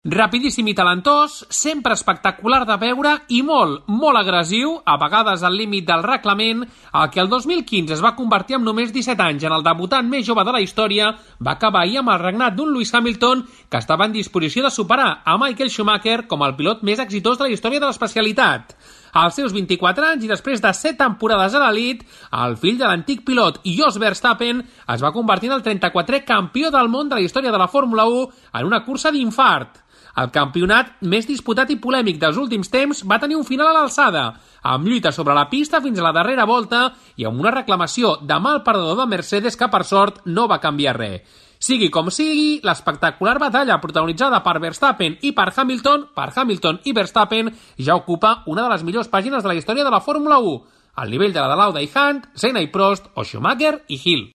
Rapidíssim i talentós, sempre espectacular de veure i molt agressiu, a vegades al límit del reglament, el que el 2015 es va convertir en només 17 anys en el debutant més jove de la història, va acabar ahir amb el regnat d'un Lewis Hamilton que estava en disposició de superar a Michael Schumacher com el pilot més exitós de la història de l'especialitat. Als seus 24 anys i després de 7 temporades a l'elit, el fill de l'antic pilot Jos Verstappen es va convertir en el 34è campió del món de la història de la Fórmula 1 en una cursa d'infart. El campionat més disputat i polèmic dels últims temps va tenir un final a l'alçada, amb lluita sobre la pista fins a la darrera volta i amb una reclamació de mal perdedor de Mercedes que, per sort, no va canviar res. Sigui com sigui, l'espectacular batalla protagonitzada per Verstappen i per Hamilton i Verstappen, ja ocupa una de les millors pàgines de la història de la Fórmula 1, al nivell de la de Lauda i Hunt, Senna i Prost o Schumacher i Hill.